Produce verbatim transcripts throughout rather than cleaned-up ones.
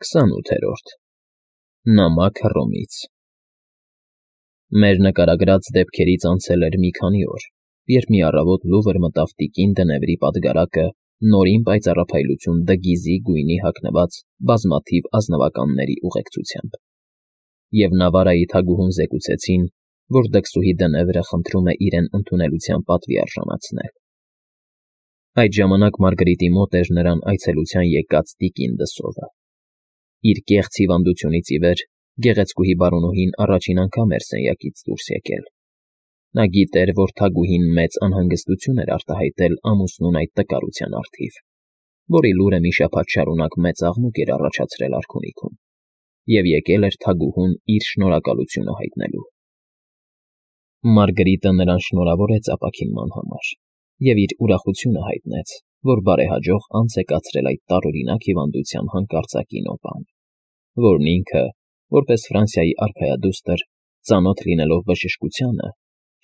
Քսանութերորդ Նամակ Հռոմից Մեր նկարագրած դեպքերից անցել էր մի քանի օր, երբ մի առավոտ լուվր մտավ տիկին Դնեվրի պատգարակը նորին պայծառափայլություն դգիզի գույնի հագնված բազմաթիվ ազնվականների ուղեկցությամբ, և Նավարայի թագուհուն զեկուցեցին, որ դքսուհի Դնեվրը խնդրում է իրեն ընդունելության պատվի արժանացնել։ Այդ ժամանակ Մարգարիտի մոտ էր նրան այցելության եկած տիկին Դսովը։ Իր կեղծ հիվանդությունից ի վեր գեղեցկուհի բարոնուհին առաջին անգամ էր սենյակից դուրս եկել։ Նա գիտեր, որ թագուհին մեծ անհանգստություն էր արտահայտել ամուսնուն այդ տկարության առթիվ, որի լուրը մի շաբաթ շարունակ մեծ աղմուկ էր առաջացրել արքունիքում, և եկել էր թագուհուն իր շնորհակալությունը հայտնելու։ Մարգարիտը նրան շնորհավորեց ապաքինման համար և իր ուրախությունը հայտնեց, որ բարեհաջող անց է կացրել այդ տարօրինակ հիվանդության հանկարծակի նոպան, որն ինքը, որպես Ֆրանսիայի արքայադուստր, ծանոթ լինելով բժշկությանը,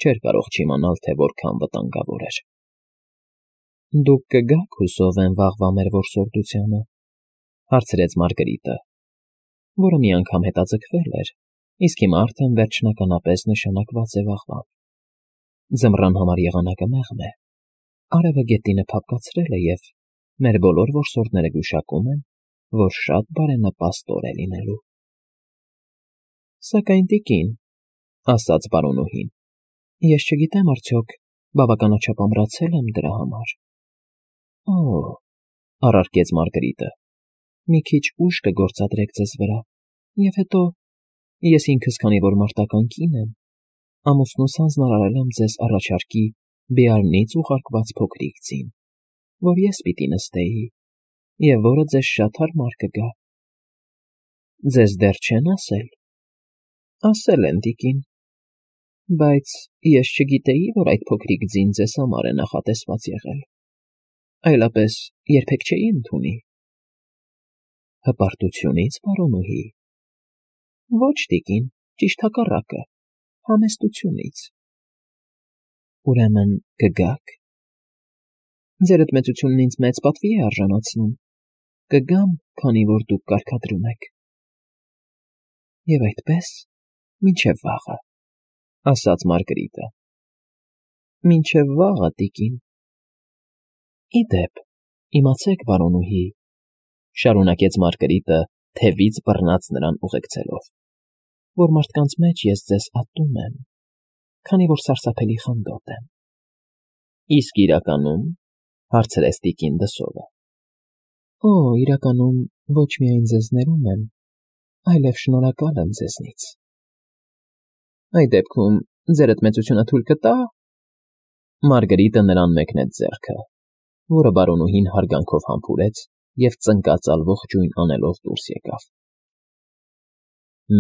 չէր կարող չիմանալ, թե որքան վտանգավոր էր։ ֊ Դուք կգա՞ք, հուսով եմ, վաղվա մեր որսորդությանը,֊ հարցրեց Մարգարիտը, որը մի անգամ հետաձգվել էր, իսկ հիմա արդեն վերջնականապես նշանակված է վաղվան։ Ձմռան համար եղանակը մեղմ է, արևը գետինը փափկացրել է, և մեր բոլոր որսորդները գուշակում են, որ շատ բարենպաստ օր է լինելու։ ֊ Սակայն, տիկին,֊ ասաց բարոնուհին,֊ ես չգիտեմ արդյոք բավականաչափ ամրացե՞լ եմ դրա համար։ ֊ Օ՜, առարկեց Մարգարիտը,֊ մի քիչ ուժ կգործադրեք ձեզ վրա, և հետո ես ինքս, քանի որ մարտական կին եմ, ամուսնուս հանձնարարել եմ ձեզ առաջարկի Բեարնից ուղարկված փոքրիկ ձին, որ ես պիտի նստեի, և որը ձեզ շատ հարմար կգա։ ֊ Ձեզ դեռ չե՞ն ասել։ ֊ Ասել են, տիկին, բայց ես չգիտեի, որ այդ փոքրիկ ձին ձեզ համար է նախատեսված եղել, այլապես երբեք չէի ընդունի։ ֊ Հպարտությունի՞ց, պարոնուհի։ ֊ Ոչ, տիկին, ճիշտ հակառակը, համեստությունից։ ֊ Ուրեմն կգա՞ք։ ֊ Ձերդ մեծությունն ինձ մեծ պատվի է արժանացնում, կգամ, քանի որ դուք կարգադրում եք։ ֊ Եվ այդպես մինչև վաղը,֊ ասաց Մարգարիտը։ ֊ Մինչև վաղը, տիկին։ ֊ Ի դեպ, իմացեք, բարոնուհի,֊ շարունակեց Մարգարիտը, թևից բռնած նրան ուղեկցելով,֊ որ մարդկանց մեջ ես ձեզ ատում եմ, քանի որ սարսափելի խանդոտ եմ։ ֊ Իսկ իրականում,֊ հարցրեց տիկին Դսովը։ ֊ Օ, իրականում ոչ միայն ձեզ ներում եմ, այլև շնորհակալ եմ ձեզնից։ ֊ Այդ դեպքում ձերդ մեծությունը թույլ կտա…֊ Մարգարիտը նրան մեկնեց ձեռքը, որը բարոնուհին հարգանքով համբուրեց և ծնկածալ ողջույն անելով դուրս եկավ։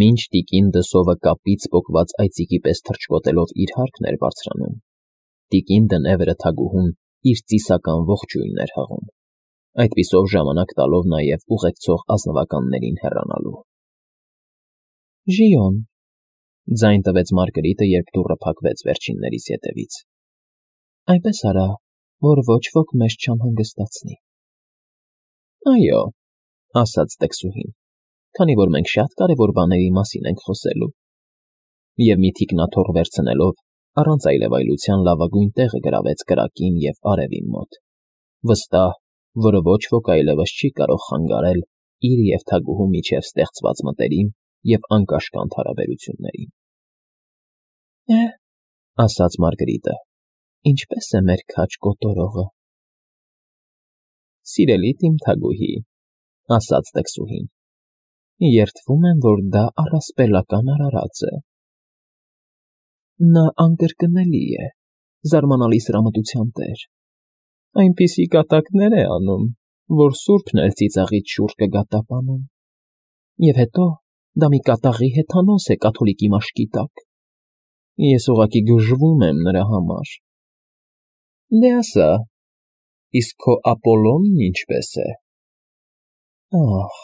Մինչ տիկին Դսովը կապից պոկված այծիկի պես թռչկոտելով իր հարկն էր բարձրանում, տիկին Դնեվրը թագուհուն իր ծիսական ողջույնն էր հղում, այդպիսով ժամանակ տալով նաև ուղեկցող ազնվականներին հեռանալու։ ֊ Ժիոն,֊ ձայն տվեց Մարգարիտը, երբ դուռը փակվեց վերջիններիս ետևից,֊ այնպես արա, որ ոչ ոք մեզ չանհանգստացնի։ ֊ Այո,֊ ասաց տքսուհին, քանի որ մենք շատ կարևոր բաների մասին ենք խոսելու, և մի թիկնաթոռ վերցնելով առանց այլևայլության լավագույն տեղը գրավեց կրակին և արևին մոտ, վստահ, որ ոչ ոք այլևս չի կարող խանգարել իր և թագուհու միջև ստեղծված մտերիմ և անկաշկանդ հարաբերություններին։ ֊ Է՛հ,֊ ասաց Մարգարիտը,֊ ինչպե՞ս է մեր քաջ կոտորողը։ ֊ Սիրելի իմ թագուհի,֊ ասաց տքսուհին,֊ երդվում եմ, որ դա առասպելական արարած է։ ֊ Նա անկրկնելի է, զարմանալի սրամտության տեր, այնպիսի կատակներ է անում, որ սուրբն էլ ծիծաղից շուռ կգա տապանում, և հետո դա մի կատաղի հեթանոս է կաթոլիկի մաշկի տակ։ Ես ուղղակի գժվում եմ նրա համար։ ֊ Դե ասա, իսկ քո Ապոլլոնն ինչպե՞ս է։ ֊ Ա՛հ,֊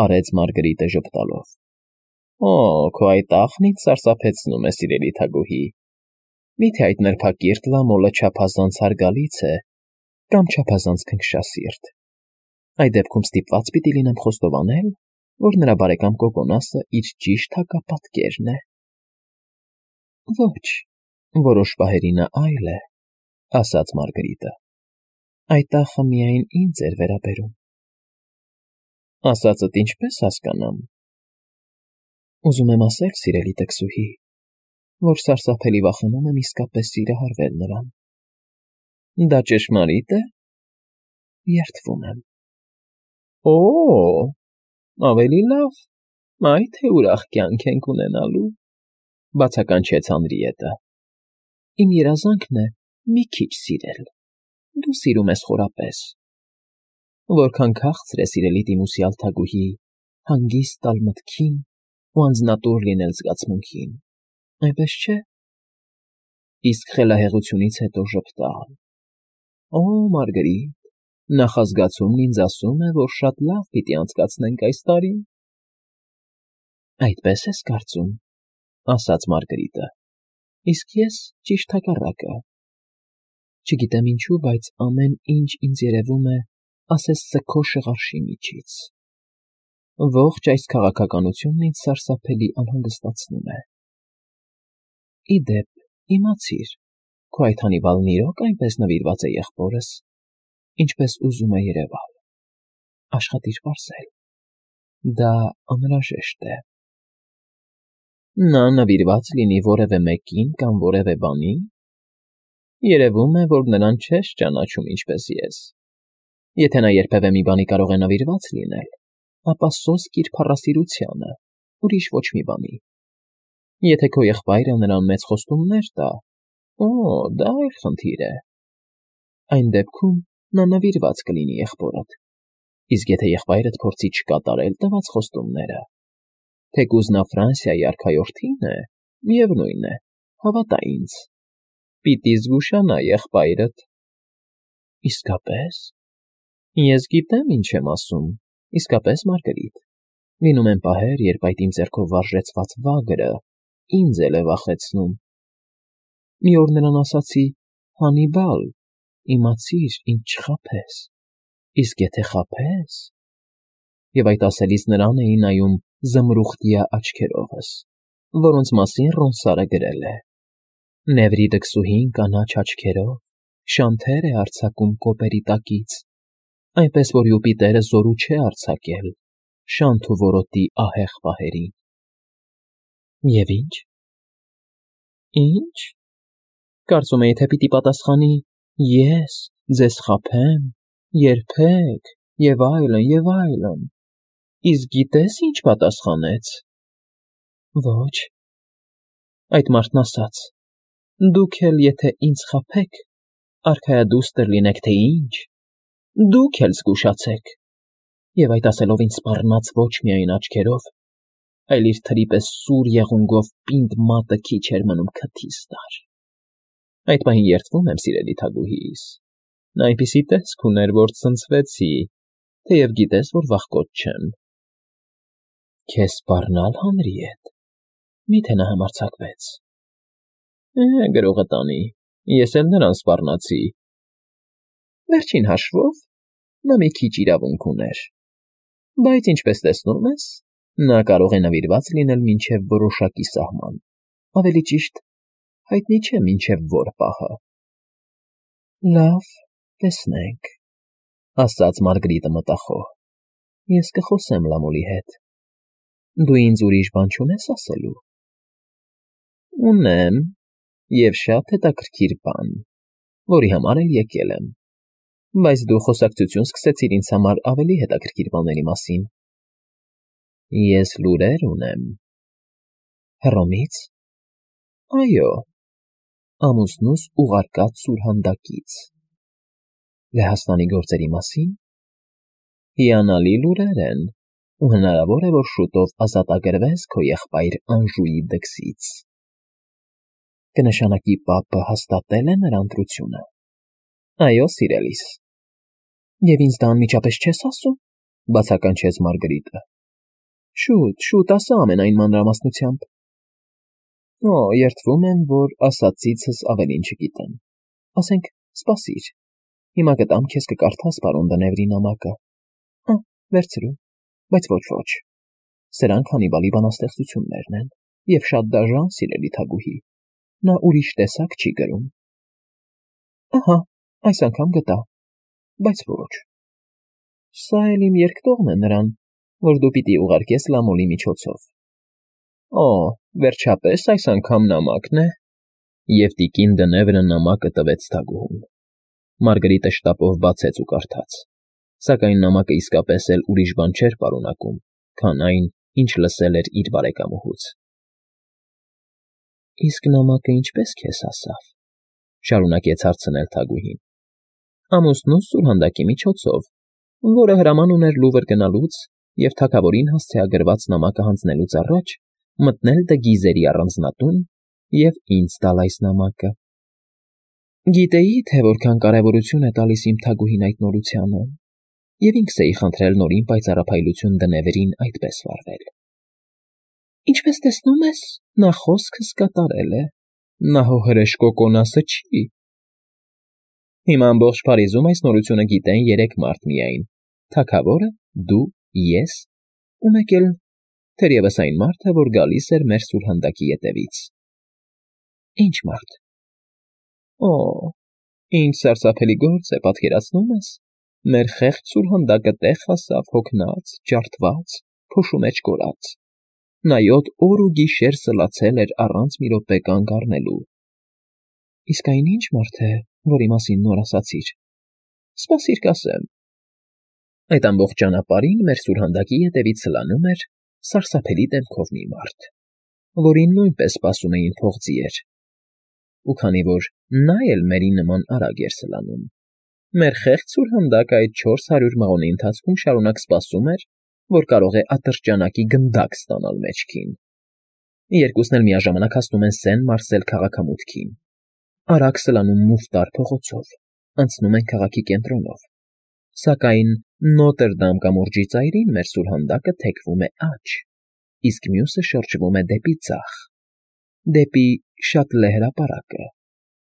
արեց Մարգարիտը ժպտալով,֊ օ, քո այդ աղն ինձ սարսափեցնում է, սիրելի թագուհի, մի՞թե այդ նրբակիրթ լամոլը չափազանց հարգալից է կամ չափազանց քնքշասիրտ։ Այդ դեպքում ստիպված պիտի լինեմ խոստովանել, որ նրա բարեկամ Կոկոնասը իր ճիշտ հակապատկերն է։ Ոչ, որոշ պահերի նա այլ է, ասաց Մարգարիտը։ Այդ տախը միայն ինձ էր վերաբերում։ Ասածդ ինչպես հասկանամ։ Ուզում եմ ասել, սիրելի տքսուհի, որ սարսափելի վախենում եմ իսկապես սիրահարվել նրան։ Դա ճշմարիտ է։ Երդվում եմ։ Օ, ավելի լավ, այ թե ուրախ կյանք ենք ունենալու, բացականչեց Հանրիետը։ Իմ երազանքն է մի քիչ սիրել, դու սիրում ես խորապես։ Որքան քաղցր է սիրելի դիմուսյալ թագուհի, հանգիստ տալ մտքին ու անձնատուր լինել զգացմունքին, այնպես չէ։ Իսկ խելահեղությունից հետո ժպտալ։ Օ, Մարգարիտ, նախազգացումն ինձ ասում է, որ շատ լավ պիտի անցկացնենք այս տարին։ Այդպես ես կարծում, ասաց Մարգարիտը, իսկ ես ճիշտ հակառակը։ Չգիտեմ ինչու, բայց ամեն ինչ ինձ երևում է ասես սգո շղարշի միջից։ Ողջ այս քաղաքականությունն ինձ սարսափելի անհանգստացնում է։ Ի դեպ, իմացիր, քո այդ Հանիբալն իրոք այնպես նվիրված է եղբորս, ինչպես ուզում է երևալ։ Աշխատիր պարզել։ Դա անհրաժեշտ է։ Նա նվիրված լինի որևէ մեկին կամ որևէ բանի։ Երևում է, որ նրան չես ճանաչում ինչպես ես։ Եթե նա երբևէ մի բանի կարող է նվիրված լինել, ապա սոսկ իր փառասիրությանը, ուրիշ ոչ մի բանի։ Եթե քո եղբայրը նրան մեծ խոստումներ տա, օ, դա այլ խնդիր է։ Այն դեպքում նա նվիրված կլինի եղբորդ, իսկ եթե եղբայրդ փորձի չկատարել տված խոստումները, թեկուզ նա Ֆրանսիայի արքայորդին է, միևնույն է, հավատա ինձ, պիտի զգուշանա եղբայրդ։ Իսկապես։ Ես գիտեմ, ինչ եմ ասում, իսկապես, Մարգարիտ։ Լինում են պահեր, երբ այդ իմ ձեռքով վարժեցված վագրը ինձ էլ է վախեցնում։ Մի օր նրան ասացի. Հանիբալ, իմացիր, ինձ չխաբես, իսկ եթե խաբես… Եվ այդ ասելիս նրան էի նայում զմրուխտյա աչքերովս, որոնց մասին Ռոնսարը գրել է. Նևրի դքսուհին կանաչ աչքերով շանթեր է արձակում կոպերի տակից, այնպես որ Յուպիտերը զորու չէ արձակել շանթ ու որոտի ահեղ պահերին։ Եվ ինչ։ Ինչ։ Կարծում էի, թե պիտի պատասխանի. ես ձեզ խաբեմ, երբեք, և այլն, և այլն։ Իսկ գիտես ինչ պատասխանեց։ Ոչ։ Այդ մարդն ասաց. դուք էլ եթե ինձ խաբեք, արքայադուստր լինեք, թե ինչ, դուք էլ զգուշացեք։ Եվ այդ ասելով ինձ սպառնաց ոչ միայն աչքերով, այլ իր թրի պես սուր եղունգով պինդ մատը քիչ էր մնում քթիս տար։ Այդ պահին երդվում եմ, սիրելի թագուհիս, նա այնպիսի տեսք ուներ, որ ցնցվեցի, թեև գիտես, որ վախկոտ չեմ։ Քեզ սպառնալ, Հանրիետ, մի՞թե նա համարձակվեց։ Է, գրողը տանի, ես էլ նրան սպառնացի։ Վերջին հաշվով նա մի քիչ իրավունք ուներ, բայց ինչպես տեսնում ես, նա կարող է նվիրված լինել մինչև որոշակի սահման, ավելի ճիշտ, հայտնի չէ մինչև որ պահը։ Լավ, տեսնենք, ասաց Մարգարիտը մտախոհ, ես կխոսեմ Լամոլի հետ։ Դու ինձ ուրիշ բան չունես ասելու։ Ունեմ, և շատ հետաքրքիր բան, որի համար էլ եկել եմ, բայց դու խոսակցություն սկսեցիր ինձ համար ավելի հետաքրքիր բաների մասին։ Ես լուրեր ունեմ։ Հռոմից։ Այո, ամուսնուս ուղարկած սուրհանդակից։ Լեհաստանի գործերի մասին։ Հիանալի լուրեր են, ու հնարավոր է, որ շուտով ազատագրվես քո եղբայր Անժուի դքսից։ Կնշանակի պապը հաստատել է նրա ընտրությունը։ Այո, սիրելիս։ Եվ ինձ դա անմիջապես չես ասում, բացականչեց Մարգարիտը։ Շուտ, շուտ ասա ամենայն մանրամասնությամբ։ Օ, երդվում եմ, որ ասածիցս ավելին չգիտեմ։ Ասենք, սպասիր, հիմա կտամ քեզ կկարդաս պարոն Դնևրի նամակը։ Վերցրու, բայց ոչ ոչ։ Սրանք Հանիբալի բանաստեղծություններն են, և շատ դաժան, սիրելի թագուհի, նա ուրիշ տեսակ չի գրում։ Ահա, այս անգամ գտա, բայց ոչ։ Սա էլ իմ երկտողն է նրան, որ դու պիտի ուղարկես Լամոլի միջոցով։ Օ, վերջապես այս անգամ նամակն է, և տիկին Դնևրը նամակը տվեց թագուհուն։ Մարգարիտը շտապով բացեց ու կարդաց, սակայն նամակը իսկապես էլ ուրիշ բան չէր պարունակում, քան այն, ինչ լսել էր իր բարեկամուհուց։ Իսկ նամակը ինչպե՞ս քեզ հասավ, շարունակեց հարցնել թագուհին։ Ամուսնուս սուրհանդակի միջոցով, որը հրաման ուներ Լուվր գնալուց և թագավորին հասցեագրված նամակը հանձնելուց առաջ մտնել Դգիզերի առանձնատուն և ինձ տալ այս նամակը։ Գիտեի, թե որքան կարևորություն է տալիս իմ թագուհին այդ նորությանը, և ինքս էի խնդրել նորին պայծառափայլություն Դնևրին այդպես վարվել։ Ինչպես տեսնում ես, նա խոսքս կատարել է, նա հո հրեշկոկոնասը չի։ Հիմա ամբողջ Փարիզում այս նորությունը գիտեն երեք մարդ միայն. թագավորը, դու, ես ու մեկ էլ, թերևս այն մարդը, որ գալիս էր մեր սուրհանդակի ետևից։ Ինչ մարդ։ Օ, ինչ սարսափելի գործ է, պատկերացնում ես, մեր խեղճ սուրհանդակը տեղ հասավ հոգնած, ջարդված, փոշու մեջ կորած։ Նա յոթ օր ու գիշեր սլացել էր առանց մի րոպե կանգ առնելու։ Իսկ այն ի՞նչ մարդ է, որի մասին նոր ասացիր։ Սպասիր կասեմ։ Այդ ամբողջ ճանապարհին մեր սուրհանդակի ետևից սլանում էր սարսափելի դեմքով մի մարդ, որին նույնպես սպասում էին փողձիեր։ Ու քանի որ նա էլ մերի նման արագ էր սլանում, մեր խեղճ սուրհանդակը այդ չորս հարյուր մղոնի ընթացքում շարունակ սպասում էր, որ կարող է ատրճանակի գնդակ ստանալ մեջքին։ Երկուսն էլ միաժամանակ հասնում են Սեն֊Մարսել քաղաքամուտքին, արագ սլանում մուֆտար փողոցով, անցնում են քաղաքի կենտրոնով, սակայն Նոտրդամ կամուրջի ծայրին մեր սուրհանդակը թեքվում է աջ, իսկ մյուսը շրջվում է դեպի ձախ, դեպի Շատլե հրապարակը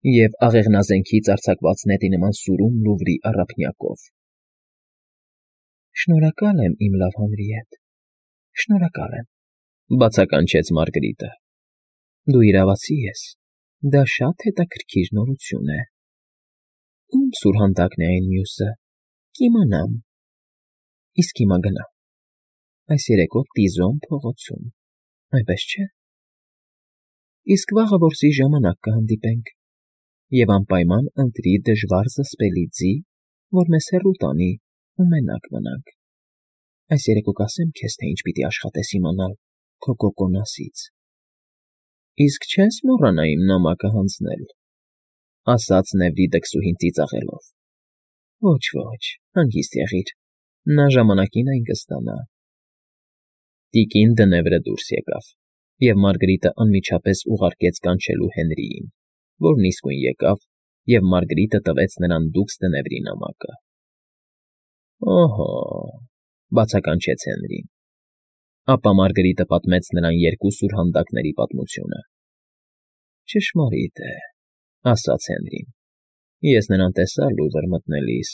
և աղեղնազենքից արձակված նետի նման սուրում Լուվրի առափնյակով։ Շնորհակալ եմ, իմ լավ Հանրիետ, շնորհակալ եմ, բացականչեց Մարգարիտը։ Դու իրավացի ես, դա շատ հետաքրքիր նորություն է։ Ում սուրհանդակն է այն մյուսը, կիմանամ։ Իսկ հիմա գնա։ Այս երեկո Տիզոն փողոցում, այնպես չէ։ Իսկ վաղը որսի ժամանակ կհանդիպենք, և անպայման ընտրի դժվար զսպելի ձի, որ մեզ հեռու տանի ու մենակ մնանք։ Այս երեկո կասեմ քեզ, թե ինչ պիտի աշխատես իմանալ քո կոկոնասից։ Իսկ չես մոռանա իմ նամակը հանձնել, ասաց Նևրիդը քսուհին ծիծաղելով։ Ոչ, ոչ, հանգիստ եղիր, նա ժամանակին այն կստանա։ Տիկին Դնևրը դուրս եկավ, և Մարգարիտը անմիջապես ուղարկեց կանչելու Հենրիին, որն իսկույն եկավ, և Մարգարիտը տվեց նրան դուքս Դնևրի նամակը։ Օհո, բացականչեց Հենրին։ Ապա Մարգարիտը պատմեց նրան երկու սուրհանդակների պատմությունը։ Ճշմարիտ է, ասաց Հենրին, ես նրան տեսա Լուվր մտնելիս։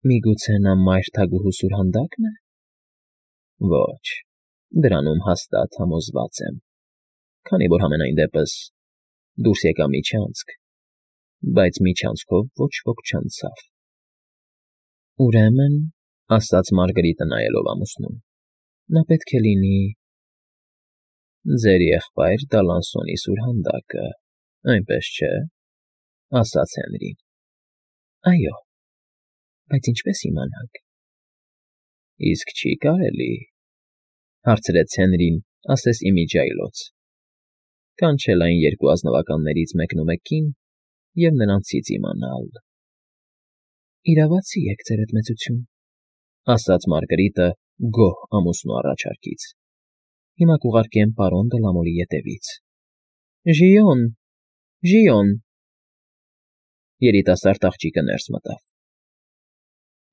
Միգուցե նա մայր թագուհու սուրհանդակն է։ Ոչ, դրանում հաստատ համոզված եմ, քանի որ համենայն դեպս դուրս եկա միջանցք, բայց միջանցքով ոչ ոք չանցավ։ Ուրեմն, ասաց Մարգարիտը նայելով ամուսնուն, նա պետք է լինի… Ձեր եղբայր Դալանսոնի սուրհանդակը, այնպես չէ, ասաց Հենրին։ Այո, բայց ինչպես իմանանք։ Իսկ չի կարելի, հարցրեց Հենրին, ասես իմիջիայլոց, կանչել այն երկու ազնվականներից մեկնումեկին և նրանցից իմանալ։ Իրավացի եք, ձերդ մեծություն, ասաց Մարգարիտը գոհ ամուսնու առաջարկից։ Հիմա կուղարկեմ պարոն Դը Լամոլի ետևից։ Ժիոն, Ժիոն… Երիտասարդ աղջիկը ներս մտավ։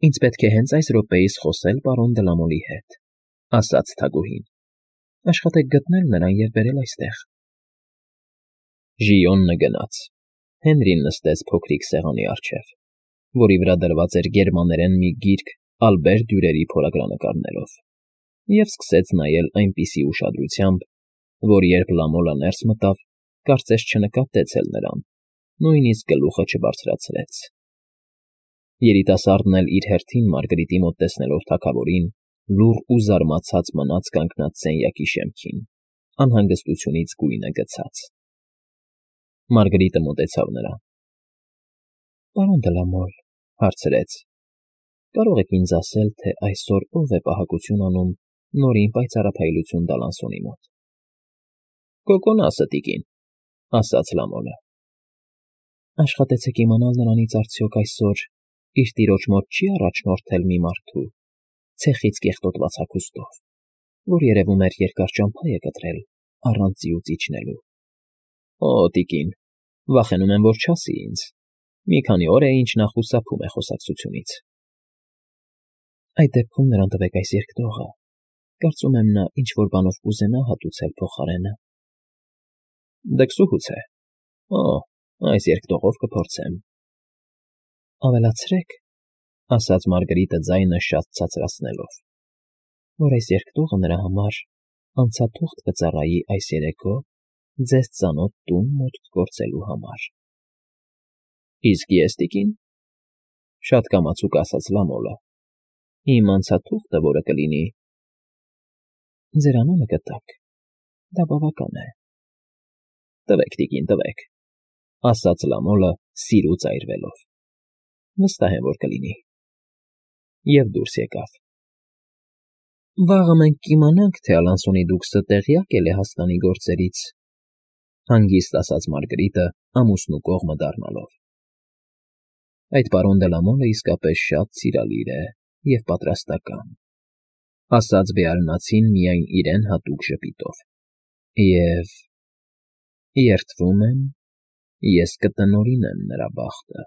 Ինձ պետք է հենց այս րոպեիս խոսել պարոն Դը Լամոլի հետ, ասաց թագուհին։ Աշխատեք գտնել նրան և բերել այստեղ։ Ժիոնը գնաց։ Հենրին նստեց փոքրիկ սեղանի առջև, որի վրա դրված էր գերմաներեն մի գիրք ալբեր դյուրերի փորագրանկարներով և սկսեց նայել այնպիսի ուշադրությամբ, որ երբ Լամոլը ներս մտավ, կարծես չնկատեց էլ նրան, նույնիսկ գլուխը չբարձրացրեց։ Երիտասարդն էլ իր հերթին Մարգարիտի մոտ տեսնելով թագավորին, լուռ ու զարմացած մնաց կանգնած սենյակի շեմքին, անհանգստությունից գույնը գցած։ Մարգարիտը մոտեցավ նրան։ ֊ Պարոն դե Լա Մոլ,֊ հարցրեց,֊ կարող եք ինձ ասել, թե այսօր ով է պահակություն անում Նորին պայծառափայլություն տալ անսունի մոտ։ ֊ Կոկոնասը, տիկին,֊ ասաց Լամոլը։ ֊ Աշխատեցեք իմանալ նրանից արդյոք այսօր իր տիրոջ մոտ չի՞ առաջնորդել մի մարդու, ցեխից կեղտոտված հագուստով, որ երևում էր երկար ճամփա է կտրել առանց ձիուց իջնելու։ ֊ Օ՜, տիկին, վախենում եմ, որ չասի ինձ. մի քանի օր է, ինչ նա խուսափում է խոսակցությունից։ ֊ Այդ դեպքում նրան տվեք այս երկտողը, կարծում եմ նա ինչ֊որ բանով կուզենա հատուցել փոխարենը։ ֊ Դքսուհուց է։ Օ՜, այս երկտողով կփորձեմ։ ֊ Ավելացրեք,֊ ասաց Մարգարիտը ձայնը շատ ցածրացնելով,֊ որ այս երկտողը նրա համար անցաթուղթ կծառայի այս երեկո ձեզ ծանոթ տուն մուտք գործելու համար։ ֊ Իսկ ես, տիկին,֊ շատ կամացուկ ասաց Լամոլը,֊ իմ անցաթուղթը որը կլինի… ֊ Ձեր անունը գտակ, դա բավական է։ ֊ Տվեք, տիկին, տվեք,֊ ասաց Լամոլը սիրուց այրվելով,֊ վստահ եմ, որ կլինի։ Եվ դուրս եկավ։ ֊ Վաղը մենք կիմանանք, թե Ալանսոնի դուքսը տեղյա՞կ է Լեհաստանի գործերից,֊ հանգիստ ասաց Մարգարիտը ամուսնու կողմը դառնալով։ ֊ Այդ պարոն դե Լա Մոլը իսկապես շատ սիրալիր է և պատրաստական,֊ ասաց Բեարնացին միայն իրեն հատուկ ժպիտով,֊ և… երդվում եմ, ես կտնօրինեմ նրա բախտը։